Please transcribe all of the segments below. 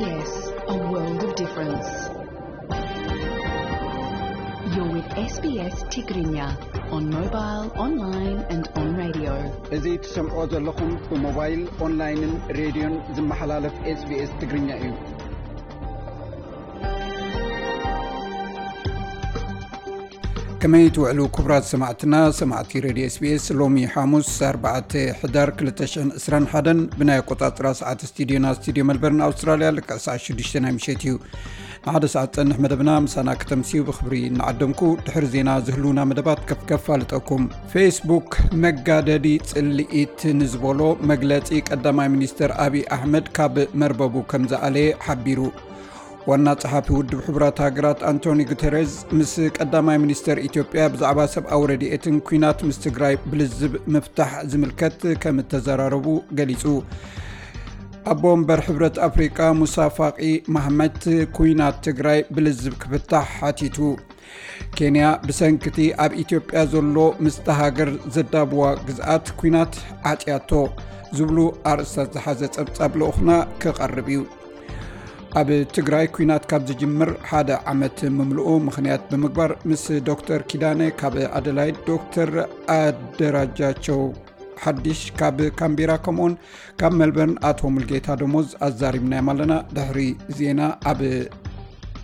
Yes, a world of difference. You're with S B S Tigrinya on mobile, online and on radio. እዚ ትሰምዖ ዘለኹም ብሞባይል፣ ኦንላይንን ሬድዮን ዝመሓላለፍ SBS ትግርኛ እዩ። ከመይ ትውዕሉ ክቡራት ሰማዕትና፣ ሰማዕቲ ሬድዮ SBS? ሎሚ ሓሙስ ኣርባዕተ ሕዳር ክልተ ሽሕን ዕስራን ሓደን ብናይ ኣቆጻጽራ ሰዓት ስቱዲዮና፣ ስቱዲዮ መልበርን ኣውስትራልያ፣ ልክዕ ሰዓት ሽዱሽተ ናይ ምሸት እዩ። ንሓደ ሰዓት ጸንሕ መደብና ምሳና ከተምስዩ ብኽብሪ እናዓደምኩ፣ ድሕሪ ዜና ዝህልውና መደባት ከፍ ከፍ ኣልጠኩም። ፌስቡክ መጋደዲ ጽልኢት ንዝበሎ መግለጺ ቀዳማይ ሚኒስተር ኣብይ ኣሕመድ ካብ መርበቡ ከም ዝኣለየ ሓቢሩ። ዋና ጸሓፊ ውድብ ሕቡራት ሃገራት ኣንቶኒ ጉተሬዝ ምስ ቀዳማይ ሚኒስተር ኢትዮጵያ ብዛዕባ ሰብኣዊ ረድኤትን ኲናት ምስ ትግራይ ብልዝብ ምፍታሕ ዝምልከት ከም እተዘራረቡ ገሊጹ። ኣቦ ወንበር ሕብረት ኣፍሪቃ ሙሳ ፋቂ ማህመት ኲናት ትግራይ ብልዝብ ክፍታሕ ሓቲቱ። ኬንያ ብሰንክቲ ኣብ ኢትዮጵያ ዘሎ ምስቲ ሃገር ዘዳብዋ ግዝኣት ኲናት ዓጽያቶ ዝብሉ ኣርእስታት ዝሓዘ ጸብጻብ ልኡኽና ክቐርብ እዩ። ኣብ ትግራይ ኲናት ካብ ዝጅምር ሓደ ዓመት ምምልኡ ምኽንያት ብምግባር ምስ ዶክተር ኪዳነ ካብ ኣደላይድ፣ ዶክተር ኣደራጃቸው ሓዲሽ ካብ ካምቤራ፣ ከምኡውን ካብ መልበርን ኣቶ ሙልጌታ ደሞዝ ኣዛሪብናዮም ኣለና። ድሕሪ ዜና ኣብ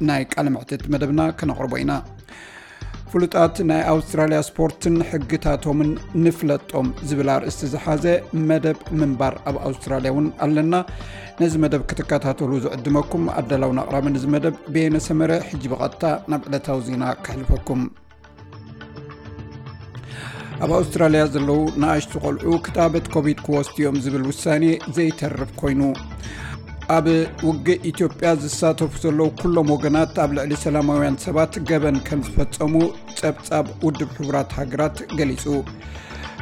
ናይ ቃለ መሕትት መደብና ከነቕርቦ ኢና። ፍሉጣት ናይ ኣውስትራልያ ስፖርትን ሕግታቶምን ንፍለጦም ዝብል ኣርእስቲ ዝሓዘ መደብ ምንባር ኣብ ኣውስትራልያ እውን ኣለና። ነዚ መደብ ክትከታተሉ ዝዕድመኩም ኣዳላውን ኣቕራብን እዚ መደብ በየነ ሰመረ። ሕጂ ብቐጥታ ናብ ዕለታዊ ዜና ከሕልፈኩም። ኣብ ኣውስትራልያ ዘለዉ ንኣሽቱ ቆልዑ ክታበት ኮቪድ ክወስዱ እዮም ዝብል ውሳኔ ዘይተርፍ ኮይኑ። ኣብ ውግእ ኢትዮጵያ ዝሳተፉ ዘለዉ ኩሎም ወገናት ኣብ ልዕሊ ሰላማውያን ሰባት ገበን ከም ዝፈጸሙ ጸብጻብ ውድብ ሕቡራት ሃገራት ገሊጹ።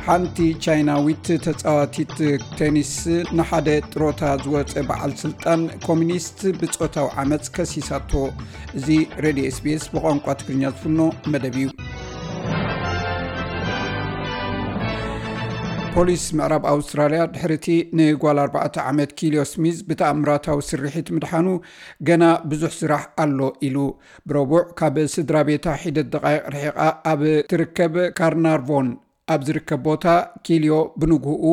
ሓንቲ ቻይናዊት ተጻዋቲት ቴኒስ ንሓደ ጥሮታ ዝወጸ በዓል ስልጣን ኮሚኒስት ብጾታዊ ዓመጽ ከሲሳቶ። እዚ ሬድዮ SBS ብቋንቋ ትግርኛ ዝፍኖ መደብ እዩ። ፖሊስ ምዕራብ ኣውስትራልያ ድሕሪቲ ንጓል ኣርባዕተ ዓመት ኪልዮ ስሚዝ ብተኣምራታዊ ስርሒት ምድሓኑ ገና ብዙሕ ስራሕ ኣሎ ኢሉ። ብረቡዕ ካብ ስድራ ቤታ ሒደት ደቓይቕ ርሒቓ ኣብ ትርከብ ካርናርቮን ኣብ ዝርከብ ቦታ ኪልዮ ብንግህኡ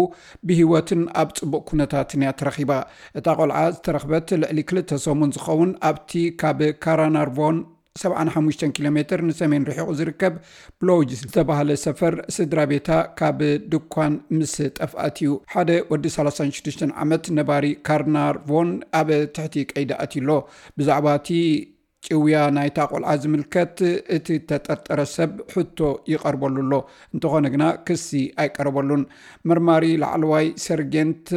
ብህይወትን ኣብ ጽቡቕ ኩነታትን እያ ተረኺባ። እታ ቆልዓ ዝተረኽበት ልዕሊ ክልተ ሰሙን ዝኸውን ኣብቲ ካብ ካራናርቮን ሰብዓን ሓሙሽተን ኪሎ ሜትር ንሰሜን ርሒቑ ዝርከብ ብሎጅ ዝተባህለ ሰፈር ስድራ ቤታ ካብ ድኳን ምስ ጠፍኣት እዩ። ሓደ ወዲ ሰላሳን ሽዱሽተን ዓመት ነባሪ ካርናርቮን ኣብ ትሕቲ ቀይዲ ኣትዩ ኣሎ። ብዛዕባ እቲ ጭውያ ናይታ ቆልዓ ዝምልከት እቲ ተጠርጠረ ሰብ ሕቶ ይቐርበሉ ኣሎ። እንተኾነ ግና ክሲ ኣይቀረበሉን። መርማሪ ላዕለዋይ ሰርጌንት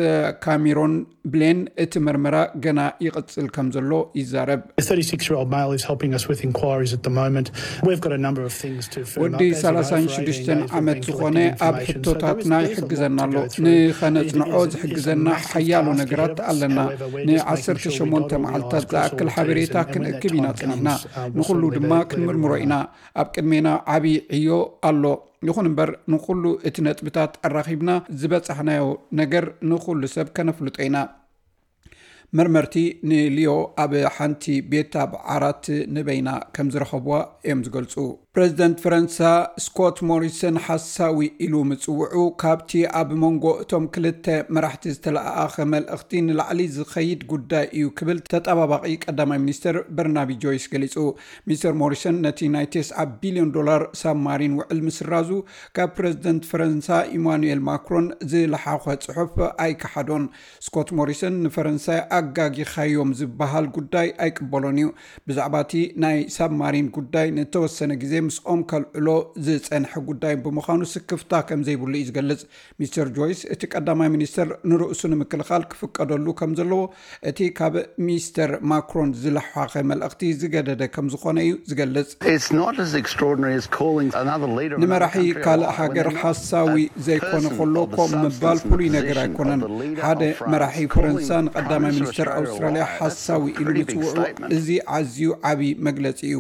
ካሜሮን ብሌን እቲ መርመራ ገና ይቕጽል ከም ዘሎ ይዛረብ። The thirty-six-year-old male is helping us with inquiries at the moment. We've got a number of things to firm ወዲ up. As you know, for ሰላሳን ሽዱሽተን eighteen days, ዓመት we've been ዝኾነ collecting ኣብ information. So ሕቶታትና there is, there is a lot ይሕግዘና to ኣሎ። go through. It is, ንኸነጽንዖ it is, it is a ዝሕግዘና massive ሓያሎ task ነገራት ahead of us. ኣለና። However, we're just ንዓሰርተ ሸሞንተ making sure that we መዓልታት organise ዝኣክል all the teams ሓበሬታ and, and when that ክንእክብ ኢና time ጸኒሕና። Comes, uh, we'll ንኹሉ certainly ድማ be, be ክንምርምሮ there ኢና። ኣብ ቅድሜና ዓቢ ዕዮ ኣሎ። ይኹን እምበር ንኹሉ እቲ ነጥብታት ኣራኺብና ዝበጻሕናዮ ነገር ንኹሉ ሰብ ከነፍልጦ ኢና። መርመርቲ ንሊዮ ኣብ ሓንቲ ቤት ኣብ ዓራት ንበይና ከም ዝረኸብዋ እዮም ዝገልጹ። ፕረዚደንት ፈረንሳ ስኮት ሞሪሰን ሓሳዊ ኢሉ ምጽውዑ ካብቲ ኣብ መንጎ እቶም ክልተ መራሕቲ ዝተለኣኣኸ መልእኽቲ ንላዕሊ ዝኸይድ ጉዳይ እዩ ክብል ተጠባባቒ ቀዳማይ ሚኒስትር በርናቢ ጆይስ ገሊጹ። ሚስተር ሞሪሰን ነቲ ናይ ተስዓ ቢልዮን ዶላር ሳብማሪን ውዕል ምስራዙ ካብ ፕረዚደንት ፈረንሳ ኢማኑኤል ማክሮን ዝለሓኾ ጽሑፍ ኣይከሓዶን። ስኮት ሞሪሰን ንፈረንሳይ ኣጋጊኻዮም ዝበሃል ጉዳይ ኣይቅበሎን እዩ። ብዛዕባ እቲ ናይ ሳብማሪን ጉዳይ ንተወሰነ ግዜ ምስኦም ከልዕሎ ዝጸንሐ ጉዳይ ብምዃኑ ስክፍታ ከም ዘይብሉ እዩ ዝገልጽ። ሚስተር ጆይስ እቲ ቀዳማይ ሚኒስተር ንርእሱ ንምክልኻል ክፍቀደሉ ከም ዘለዎ እቲ ካብ ሚስተር ማክሮን ዝለሓኸ መልእኽቲ ዝገደደ ከም ዝኾነ እዩ ዝገልጽ። It's not as extraordinary as calling another leader of another ንመራሒ country a ካልእ liar when ሃገር they're not ሓሳዊ at ዘይኮነ person ከሎ of the ከምኡ ምባል substance and ፍሉይ ነገር position ኣይኮነን። Of the leader ሓደ of France መራሒ calling ፈረንሳ ንቀዳማይ Prime Minister ሚኒስተር Australia a ኣውስትራልያ liar. That's ሓሳዊ a ኢሉ pretty big ምጽውዑ statement. እዚ ኣዝዩ ዓቢ መግለጺ እዩ።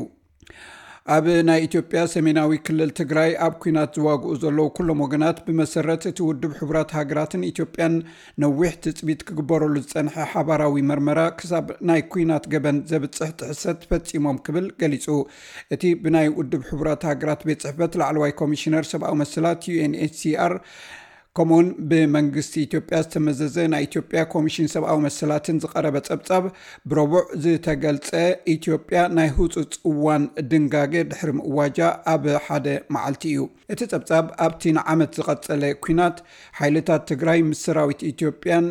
ኣብ ናይ ኢትዮጵያ ሰሜናዊ ክልል ትግራይ ኣብ ኲናት ዝዋግኡ ዘለዉ ኩሎም ወገናት፣ ብመሰረት እቲ ውድብ ሕቡራት ሃገራትን ኢትዮጵያን ነዊሕ ትጽቢት ክግበረሉ ዝጸንሐ ሓባራዊ መርመራ፣ ክሳብ ናይ ኲናት ገበን ዘብጽሕ ጥሕሰት ፈጺሞም ክብል ገሊጹ። እቲ ብናይ ውድብ ሕቡራት ሃገራት ቤት ጽሕፈት ላዕለዋይ ኮሚሽነር ሰብኣዊ መሰላት፣ ዩ ኤን ኤች ሲ ኣር፣ ከምኡውን ብመንግስቲ ኢትዮጵያ ዝተመዘዘ ናይ ኢትዮጵያ ኮሚሽን ሰብኣዊ መሰላትን ዝቐረበ ጸብጻብ፣ ብረቡዕ ዝተገልጸ፣ ኢትዮጵያ ናይ ህጹጽ እዋን ድንጋገ ድሕሪ ምእዋጃ ኣብ ሓደ መዓልቲ እዩ። እቲ ጸብጻብ፣ ኣብቲ ንዓመት ዝቐጸለ ኲናት፣ ሓይልታት ትግራይ ምስ ሰራዊት ኢትዮጵያን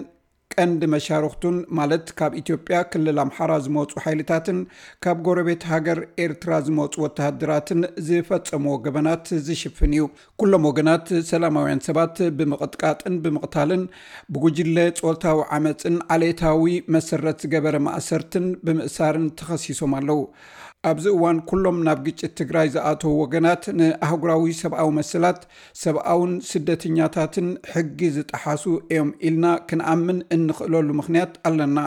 ቀንዲ መሻርኽቱን፣ ማለት ካብ ኢትዮጵያ ክልል ኣምሓራ ዝመጹ ሓይልታትን ካብ ጎረቤት ሃገር ኤርትራ ዝመጹ ወተሃደራትን ዝፈጸምዎ ገበናት ዝሽፍን እዩ። ኩሎም ወገናት ሰላማውያን ሰባት ብምቕጥቃጥን ብምቕታልን፣ ብጉጅለ ጾታዊ ዓመጽን ዓሌታዊ መሰረት ዝገበረ ማእሰርትን ብምእሳርን ተኸሲሶም ኣለዉ። ኣብዚ እዋን፣ ኩሎም ናብ ግጭት ትግራይ ዝኣተዉ ወገናት ንኣህጉራዊ ሰብኣዊ መሰላት፣ ሰብኣውን ስደተኛታትን ሕጊ ዝጠሓሱ እዮም ኢልና ክንኣምን እንኽእለሉ ምኽንያት ኣለና።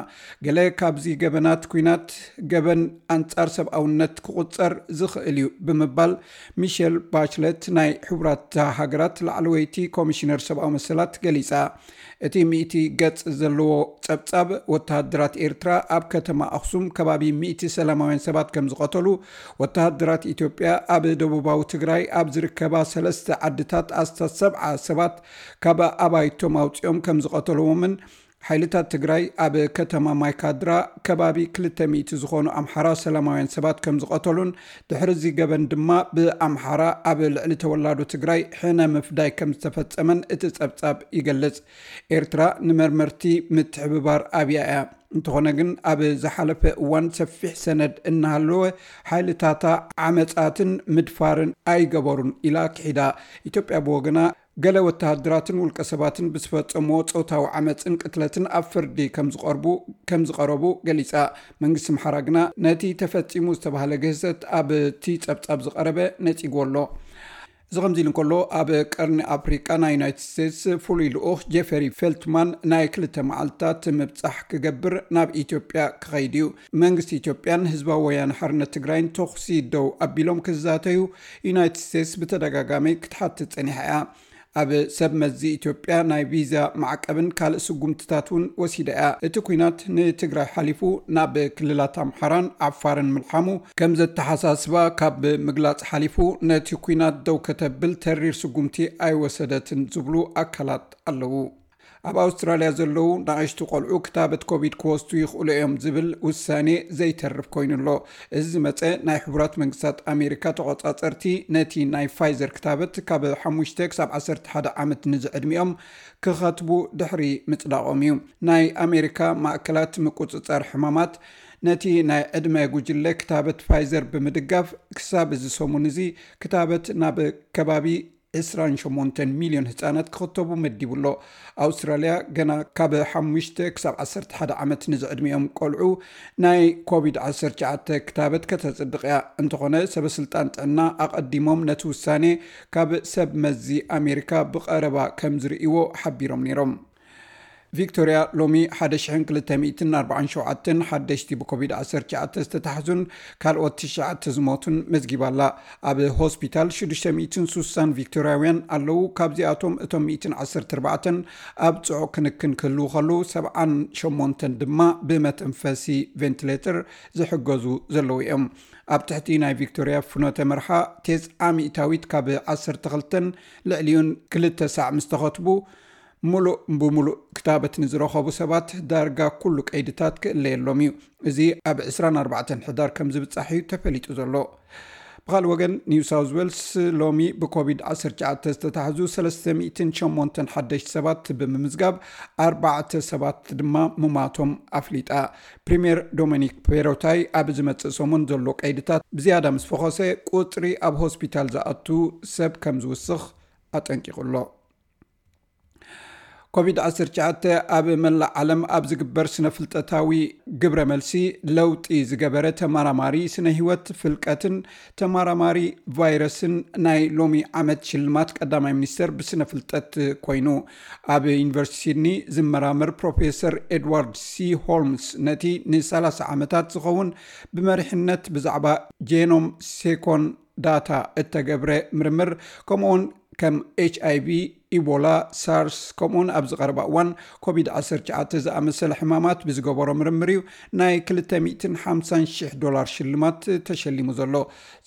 ገለ ካብዚ ገበናት ኲናት ገበን ኣንጻር ሰብኣውነት ክቑጸር ዝኽእል እዩ ብምባል፣ ሚሸል ባችለት፣ ናይ ሕቡራት ሃገራት ላዕለወይቲ ኮሚሽነር ሰብኣዊ መሰላት፣ ገሊጻ። እቲ ሚእቲ ገጽ ዘለዎ ጸብጻብ፣ ወተሃደራት ኤርትራ ኣብ ከተማ ኣኽሱም ከባቢ ሚእቲ ሰላማውያን ሰባት ከም ዝቐተሉ፣ ወተሃደራት ኢትዮጵያ ኣብ ደቡባዊ ትግራይ ኣብ ዝርከባ ሰለስተ ዓድታት ኣስታት ሰብዓ ሰባት ካብ ኣባይቶም ኣውጺኦም ከም ዝቐተልዎምን፣ ሓይልታት ትግራይ ኣብ ከተማ ማይካድራ ከባቢ ክልተ ሚእቲ ዝኾኑ ኣምሓራ ሰላማውያን ሰባት ከም ዝቐተሉን፣ ድሕሪ እዚ ገበን ድማ ብኣምሓራ ኣብ ልዕሊ ተወላዶ ትግራይ ሕነ ምፍዳይ ከም ዝተፈጸመን እቲ ጸብጻብ ይገልጽ። ኤርትራ ንመርመርቲ ምትሕብባር ኣብያ እያ። እንተኾነ ግን፣ ኣብ ዝሓለፈ እዋን ሰፊሕ ሰነድ እናሃለወ፣ ሓይልታታ ዓመጻትን ምድፋርን ኣይገበሩን ኢላ ክሒዳ። ኢትዮጵያ ብወገና፣ ገለ ወተሃደራትን ውልቀ ሰባትን ብዝፈጸምዎ ጾታዊ ዓመጽን ቅትለትን ኣብ ፍርዲ ከም ዝቐርቡ፣ ከም ዝቐረቡ ገሊጻ። መንግስቲ ኣምሓራ ግና ነቲ ተፈጺሙ ዝተባህለ ግህሰት ኣብቲ ጸብጻብ ዝቐረበ ነጺግዎ ኣሎ። እዚ ከምዚ ኢሉ እንከሎ፣ ኣብ ቀርኒ ኣፍሪቃ ናይ ዩናይትድ ስቴትስ ፍሉይ ልኡኽ ጄፈሪ ፌልትማን ናይ ክልተ መዓልታት ምብጻሕ ክገብር ናብ ኢትዮጵያ ክኸይድ እዩ። መንግስቲ ኢትዮጵያን ህዝባዊ ወያነ ሓርነት ትግራይን ተኹሲ ደው ኣቢሎም ክዛተዩ ዩናይትድ ስቴትስ ብተደጋጋሚ ክትሓትት ጸኒሓ እያ። ኣብ ሰብ መዚ ኢትዮጵያ ናይ ቪዛ ማዕቀብን ካልእ ስጉምትታት እውን ወሲዳ እያ። እቲ ኲናት ንትግራይ ሓሊፉ ናብ ክልላት ኣምሓራን ዓፋርን ምልሓሙ ከም ዘተሓሳስባ ካብ ምግላጽ ሓሊፉ፣ ነቲ ኲናት ደው ከተብል ተሪር ስጉምቲ ኣይወሰደትን ዝብሉ ኣካላት ኣለዉ። ኣብ ኣውስትራልያ ዘለዉ ንኣሽቱ ቆልዑ ክታበት ኮቪድ ክወስዱ ይኽእሉ እዮም ዝብል ውሳኔ ዘይተርፍ ኮይኑ ኣሎ። እዚ ዝመጸ፣ ናይ ሕቡራት መንግስታት ኣሜሪካ ተቖጻጸርቲ ነቲ ናይ ፋይዘር ክታበት ካብ ሓሙሽተ ክሳብ ዓሰርተ ሓደ ዓመት ንዝዕድሚኦም ክኸትቡ ድሕሪ ምጽዳቖም እዩ። ናይ ኣሜሪካ ማእከላት ምቁጽጻር ሕማማት፣ ነቲ ናይ ዕድመ ጉጅለ ክታበት ፋይዘር ብምድጋፍ፣ ክሳብ እዚ ሰሙን እዚ ክታበት ናብ ከባቢ ዕስራን ሸሞንተን ሚልዮን ህጻናት ክኽተቡ መዲቡ ኣሎ። ኣውስትራልያ ገና ካብ ሓሙሽተ ክሳብ ዓሰርተ ሓደ ዓመት ንዝዕድሚኦም ቆልዑ ናይ ኮቪድ ዓሰርተ ትሽዓተ ክታበት ከተጽድቕ እያ። እንተኾነ፣ ሰበስልጣን ጥዕና ኣቐዲሞም ነቲ ውሳኔ ካብ ሰብ መዚ ኣሜሪካ ብቐረባ ከም ዝርእይዎ ሓቢሮም ነይሮም። ቪክቶርያ ሎሚ ሓደ ሽሕን ክልተ ሚእትን ኣርባዓን ሸውዓተን ሓደሽቲ ብኮቪድ ዓሰርተ ትሽዓተ ዝተታሕዙን ካልኦት ትሽዓተ ዝሞቱን መዝጊባ ኣላ። ኣብ ሆስፒታል ሽዱሽተ ሚእትን ሱሳን ቪክቶርያውያን ኣለዉ። ካብዚኣቶም፣ እቶም ሚእትን ዓሰርተ ኣርባዕተን ኣብ ጽዑቕ ክንክን ክህልዉ ከለዉ፣ ሰብዓን ሸሞንተን ድማ ብመተንፈሲ ቬንቲሌተር ዝሕገዙ ዘለዉ እዮም። ኣብ ትሕቲ ናይ ቪክቶርያ ፍኖተ መርሓ፣ ተስዓ ሚእታዊት ካብ ዓሰርተ ክልተን ልዕሊኡን ክልተ ሳዕ ምስ ተኸትቡ፣ ምሉእ ብምሉእ ክታበት ንዝረኸቡ ሰባት ዳርጋ ኩሉ ቀይድታት ክእለየሎም እዩ። እዚ ኣብ ዕስራን ኣርባዕተን ሕዳር ከም ዝብጻሕ እዩ ተፈሊጡ ዘሎ። ብኻልእ ወገን፣ ኒው ሳውዝ ዌልስ ሎሚ ብኮቪድ ዓሰርተ ትሽዓተ ዝተታሕዙ ሰለስተ ሚእትን ሸሞንተን ሓደሽቲ ሰባት ብምምዝጋብ፣ ኣርባዕተ ሰባት ድማ ምማቶም ኣፍሊጣ። ፕሪምየር ዶሚኒክ ፔሮታይ፣ ኣብ ዝመጽእ ሰሙን ዘሎ ቀይድታት ብዝያዳ ምስ ፈኾሰ፣ ቁጽሪ ኣብ ሆስፒታል ዝኣቱ ሰብ ከም ዝውስኽ ኣጠንቂቑ ኣሎ። ኮቪድ ዓሰርተ ትሽዓተ ኣብ መላእ ዓለም ኣብ ዝግበር ስነ-ፍልጠታዊ ግብረ መልሲ ለውጢ ዝገበረ ተመራማሪ ስነ-ህይወት ፍልቀትን ተመራማሪ ቫይረስን ናይ ሎሚ ዓመት ሽልማት ቀዳማይ ሚኒስተር ብስነ-ፍልጠት ኮይኑ። ኣብ ዩኒቨርሲቲ ሲድኒ ዝመራመር ፕሮፌሰር ኤድዋርድ ሲ ሆልምስ፣ ነቲ ንሰላሳ ዓመታት ዝኸውን ብመሪሕነት ብዛዕባ ጄኖም ሴኮን ዳታ እተገብረ ምርምር፣ ከምኡውን ከም ኤች ኣይ ቪ፣ ኢቦላ፣ ሳርስ፣ ከምኡውን ኣብዚ ቀረባ እዋን ኮቪድ ዓሰርተ ትሽዓተ ዝኣመሰለ ሕማማት ብዝገበሮ ምርምር እዩ ናይ ክልተ ሚእትን ሓምሳን ሽሕ ዶላር ሽልማት ተሸሊሙ ዘሎ።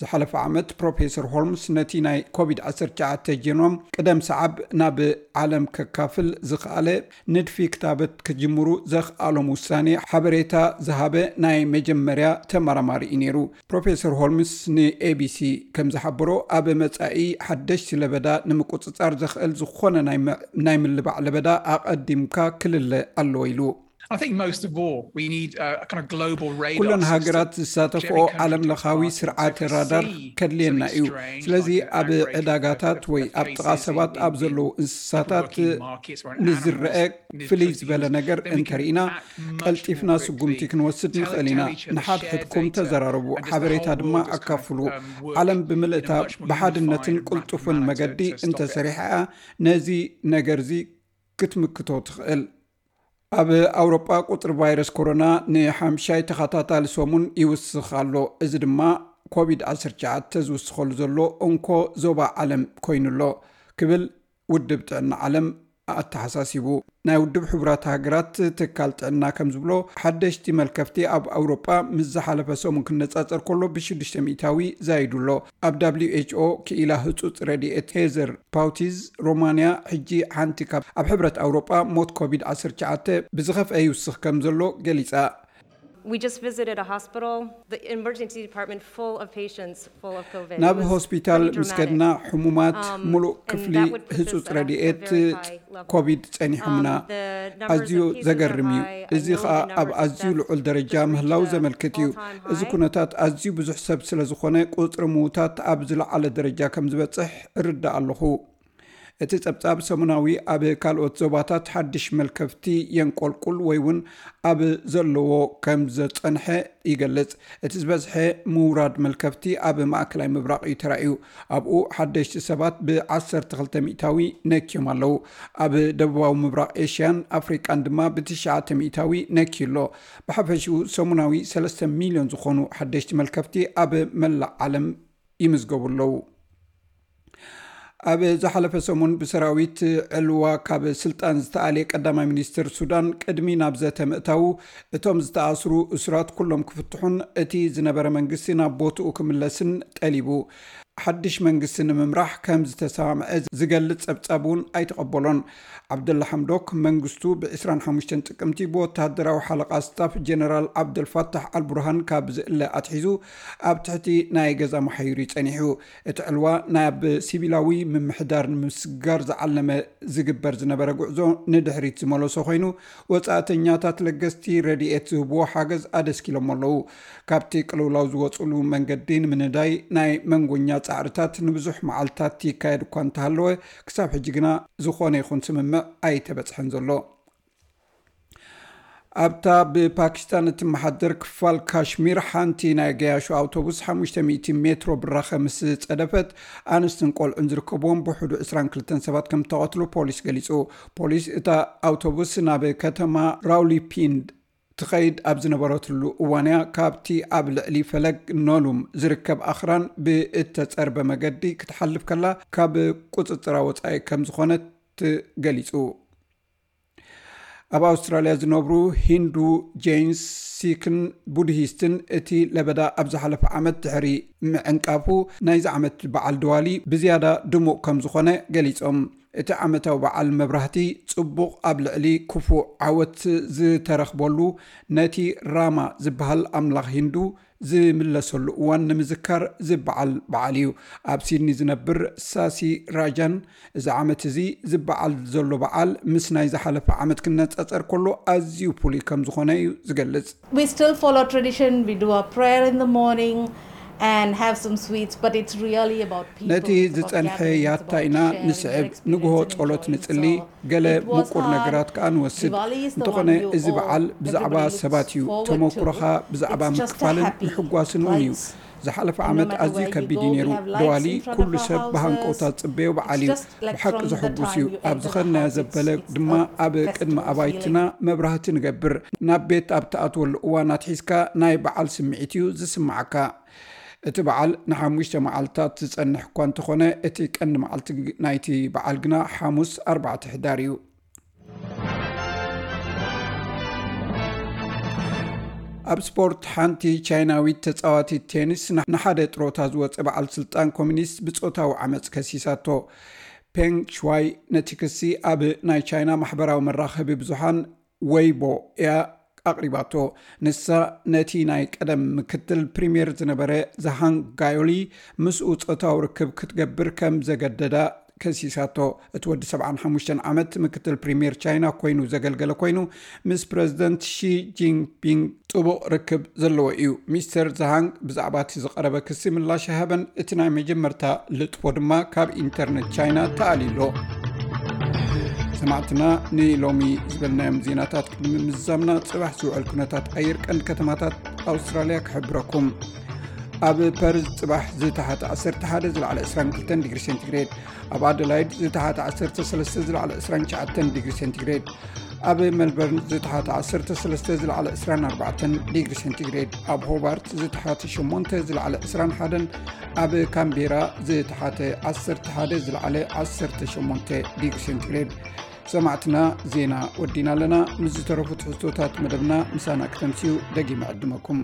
ዝሓለፈ ዓመት ፕሮፌሰር ሆልምስ ነቲ ናይ ኮቪድ ዓሰርተ ትሽዓተ ጀኖም ቅደም ሰዓብ ናብ ዓለም ከካፍል ዝኸኣለ ንድፊ ክታበት ክጅምሩ ዘኽኣሎም ውሳኔ ሓበሬታ ዝሃበ ናይ መጀመርያ ተመራማሪ እዩ ነይሩ። ፕሮፌሰር ሆልምስ ን ኤ ቢ ሲ ከም ዝሓበሮ፣ ኣብ መጻኢ ሓደሽቲ ለበዳ ንምቁጽጻር ዘኽእል ዝኾነ ናይ መ-፣ ናይ ምልባዕ ለበዳ ኣቐዲምካ ክልለ ኣለዎ ኢሉ። I think most of all, we need a, a kind of global radar ኩለን system. ሃገራት ዝሳተፍኦ ዓለም ለኻዊ ስርዓተ ራዳር ከድልየና እዩ። ስለዚ ኣብ ዕዳጋታት ወይ ኣብ ጥቓ ሰባት ኣብ ዘለዉ እንስሳታት ንዝረአ ፍልይ ዝበለ ነገር እንተርኢና፣ ቀልጢፍና ስጉምቲ ክንወስድ ንኽእል ኢና። ንሓድሕድኩም ተዘራረቡ፣ ሓበሬታ ድማ ኣካፍሉ። ዓለም ብምልእታ ብሓድነትን ቅልጡፍን መገዲ እንተሰሪሓ፣ ነዚ ነገርዚ ክትምክቶ ትኽእል። ኣብ ኣውሮጳ ቁጽሪ ቫይረስ ኮሮና ንሓምሻይ ተኸታታሊ ሰሙን ይውስኽ ኣሎ። እዚ ድማ ኮቪድ ዓሰርተ ትሽዓተ ዝውስኸሉ ዘሎ እንኮ ዞባ ዓለም ኮይኑ ኣሎ ክብል ውድብ ጥዕና ዓለም ኣተሓሳሲቡ። ናይ ውድብ ሕቡራት ሃገራት ትካል ጥዕና ከም ዝብሎ፣ ሓደሽቲ መልከፍቲ ኣብ ኣውሮጳ ምስ ዝሓለፈ ሰሙን ክነጻጸር ከሎ ብሽዱሽተ ሚእታዊ ዛይዱ ኣሎ። ኣብ ደብሊው ኤች ኦ ክኢላ ህጹጽ ረድኤት ሄዘር ፓውቲዝ፣ ሮማንያ ሕጂ ሓንቲ ካብ ኣብ ሕብረት ኣውሮጳ ሞት ኮቪድ ዓሰርተ ትሽዓተ ብዝኸፍአ ይውስኽ ከም ዘሎ ገሊጻ። We just visited a hospital, the emergency department full of patients, full of COVID. It ናብ was ሆስፒታል pretty ምስ ከድና፣ dramatic. ሕሙማት፣ Um, ምሉእ and ክፍሊ that would put ህጹጽ us at a ረድኤት very high level. ኮቪድ ጸኒሖምና። Um, the numbers ኣዝዩ of cases are ዘገርም እዩ። High. I እዚ know ኸኣ the ኣብ numbers of ኣዝዩ deaths ልዑል ደረጃ just reached ምህላው a ዘመልክት እዩ። All-time high. እዚ ኩነታት ኣዝዩ ብዙሕ ሰብ ስለ ዝኾነ፣ ቁጽሪ ምዉታት ኣብ ዝለዓለ ደረጃ ከም ዝበጽሕ እርዳእ ኣለኹ። እቲ ጸብጻብ ሰሙናዊ ኣብ ካልኦት ዞባታት ሓድሽ መልከፍቲ የንቆልቁል ወይ እውን ኣብ ዘለዎ ከም ዘጸንሐ ይገልጽ። እቲ ዝበዝሐ ምውራድ መልከፍቲ ኣብ ማእከላይ ምብራቕ እዩ ተራእዩ። ኣብኡ ሓደሽቲ ሰባት ብዓሰርተ ክልተ ሚእታዊ ነክዮም ኣለዉ። ኣብ ደቡባዊ ምብራቕ ኤሽያን ኣፍሪቃን ድማ ብትሽዓተ ሚእታዊ ነክዩ ኣሎ። ብሓፈሽኡ ሰሙናዊ ሰለስተ ሚልዮን ዝኾኑ ሓደሽቲ መልከፍቲ ኣብ መላእ ዓለም ይምዝገቡ ኣለዉ። ኣብ ዝሓለፈ ሰሙን ብሰራዊት ዕልዋ ካብ ስልጣን ዝተኣልየ ቀዳማይ ሚኒስትር ሱዳን፣ ቅድሚ ናብ ዘተ ምእታዉ እቶም ዝተኣስሩ እሱራት ኩሎም ክፍትሑን እቲ ዝነበረ መንግስቲ ናብ ቦትኡ ክምለስን ጠሊቡ። ሓድሽ መንግስቲ ንምምራሕ ከም ዝተሰማምዐ ዝገልጽ ጸብጻብ እውን ኣይተቐበሎን። ዓብደላ ሓምዶክ መንግስቱ ብ ዕስራን ሓሙሽተን ጥቅምቲ ብወተሃደራዊ ሓለቓ ስታፍ ጀነራል ዓብደልፋታሕ ኣልቡርሃን ካብ ዝእለ ኣትሒዙ ኣብ ትሕቲ ናይ ገዛ መሓይሩ ጸኒሑ። እቲ ዕልዋ ናብ ሲቪላዊ ምምሕዳር ንምስግጋር ዝዓለመ ዝግበር ዝነበረ ጉዕዞ ንድሕሪት ዝመለሶ ኮይኑ፣ ወጻእተኛታት ለገስቲ ረድኤት ዝህብዎ ሓገዝ ኣደስኪሎም ኣለዉ። ካብቲ ቅልውላው ዝወጽሉ መንገዲ ንምንዳይ ናይ መንጎኛ ጻዕርታት ንብዙሕ መዓልታት ይካየድ እኳ እንተሃለወ፣ ክሳብ ሕጂ ግና ዝኾነ ይኹን ስምምዕ ኣይተበጽሐን ዘሎ። ኣብታ ብፓኪስታን እትመሓደር ክፋል ካሽሚር፣ ሓንቲ ናይ ገያሾ ኣውቶቡስ ሓሙሽተ ሚእቲ ሜትሮ ብራኸ ምስ ጸደፈት፣ ኣንስትን ቆልዑን ዝርከብዎም ብውሕዱ ዕስራን ክልተን ሰባት ከም እተቐትሉ ፖሊስ ገሊጹ። ፖሊስ፣ እታ ኣውቶቡስ ናብ ከተማ ራውሊፒንድ ትኸይድ ኣብ ዝነበረትሉ እዋን እያ፣ ካብቲ ኣብ ልዕሊ ፈለግ ኖሉም ዝርከብ ኣኽራን ብእተጸርበ መገዲ ክትሓልፍ ከላ፣ ካብ ቁጽጽራ ወጻኢ ከም ዝኾነት ገሊጹ። ኣብ ኣውስትራልያ ዝነብሩ ሂንዱ፣ ጀይንስ፣ ሲክን ቡድሂስትን፣ እቲ ለበዳ ኣብ ዝሓለፈ ዓመት ድሕሪ ምዕንቃፉ፣ ናይዚ ዓመት በዓል ድዋሊ ብዝያዳ ድሙቕ ከም ዝኾነ ገሊጾም። እቲ ዓመታዊ በዓል መብራህቲ ጽቡቕ ኣብ ልዕሊ ክፉእ ዓወት ዝተረኽበሉ፣ ነቲ ራማ ዝበሃል ኣምላኽ ሂንዱ ዝምለሰሉ እዋን ንምዝካር ዝበዓል በዓል እዩ። ኣብ ሲድኒ ዝነብር ሳሲ ራጃን፣ እዚ ዓመት እዚ ዝበዓል ዘሎ በዓል ምስ ናይ ዝሓለፈ ዓመት ክነጻጸር ከሎ ኣዝዩ ፍሉይ ከም ዝኾነ እዩ ዝገልጽ። We still follow tradition. We do our prayer in the morning and have some sweets, but it's really about people. ነቲ ዝጸንሐ ያታ ኢና ንስዕብ። ንግሆ ጸሎት ንጽሊ፣ ገለ ምቁር ነገራት ከኣ ንወስድ። እንተኾነ፣ እዚ በዓል ብዛዕባ ሰባት እዩ። ተመኩሮኻ ብዛዕባ ምክፋልን ምሕጓስን እውን እዩ። ዝሓለፈ ዓመት ኣዝዩ ከቢድ እዩ ነይሩ። ደዋሊ ኩሉ ሰብ ብሃንቀውታ ዝጽበዮ በዓል እዩ። ብሓቂ ዘሐጉስ እዩ። ኣብ ዝኸድናዮ ዘበለ ድማ ኣብ ቅድሚ ኣባይትና መብራህቲ ንገብር። ናብ ቤት ኣብ ትኣትወሉ እዋን ኣትሒዝካ ናይ በዓል ስምዒት እዩ ዝስምዓካ። እቲ በዓል ንሓሙሽተ መዓልታት ዝጸንሕ እኳ እንተኾነ፣ እቲ ቀንዲ መዓልቲ ናይቲ በዓል ግና ሓሙስ ኣርባዕተ ሕዳር እዩ። ኣብ ስፖርት፣ ሓንቲ ቻይናዊት ተጻዋቲት ቴኒስ ንሓደ ጥሮታ ዝወጸ በዓል ስልጣን ኮሚኒስት ብጾታዊ ዓመጽ ከሲሳቶ። ፔንግ ሽዋይ ነቲ ክሲ ኣብ ናይ ቻይና ማሕበራዊ መራኸቢ ብዙሓን ወይቦ እያ ኣቕሪባቶ። ንሳ ነቲ ናይ ቀደም ምክትል ፕሪምየር ዝነበረ ዛሃንግ ጋዮሊ ምስኡ ጾታዊ ርክብ ክትገብር ከም ዘገደዳ ከሲሳቶ። እቲ ወዲ ሰብዓን ሓሙሽተን ዓመት ምክትል ፕሪምየር ቻይና ኮይኑ ዘገልገለ ኮይኑ፣ ምስ ፕረዚደንት ሺ ጂንፒንግ ጥቡቕ ርክብ ዘለዎ እዩ። ሚስተር ዛሃንግ ብዛዕባ እቲ ዝቐረበ ክሲ ምላሽ ኣይሃበን። እቲ ናይ መጀመርታ ልጥፎ ድማ ካብ ኢንተርነት ቻይና ተኣልዩ ኣሎ። ሰማዕትና፣ ንሎሚ ዝበልናዮም ዜናታት ቅድሚ ምዝዛምና፣ ጽባሕ ዝውዕል ኩነታት ኣየር ቀንዲ ከተማታት ኣውስትራልያ ክሕብረኩም። ኣብ ፐርዝ ጽባሕ ዝተሓተ ዓሰርተ ሓደ፣ ዝለዓለ ዕስራን ክልተን ዲግሪ ሴንቲግሬድ፣ ኣብ ኣደላይድ ዝተሓተ ዓሰርተ ሰለስተ፣ ዝለዓለ ዕስራን ትሽዓተን ዲግሪ ሴንቲግሬድ፣ ኣብ ሜልበርን ዝተሓተ ዓሰርተ ሰለስተ፣ ዝለዓለ ዕስራን ኣርባዕተን ዲግሪ ሴንቲግሬድ፣ ኣብ ሆባርት ዝተሓተ ሸሞንተ፣ ዝለዓለ ዕስራን ሓደን፣ ኣብ ካምቤራ ዝተሓተ ዓሰርተ ሓደ፣ ዝለዓለ ዓሰርተ ሸሞንተ ዲግሪ ሴንቲግሬድ። ሰማዕትና፣ ዜና ወዲና ኣለና። ምስ ዝተረፉ ትሕዝቶታት መደብና ምሳና ክተምስዩ ደጊመ ዕድመኩም።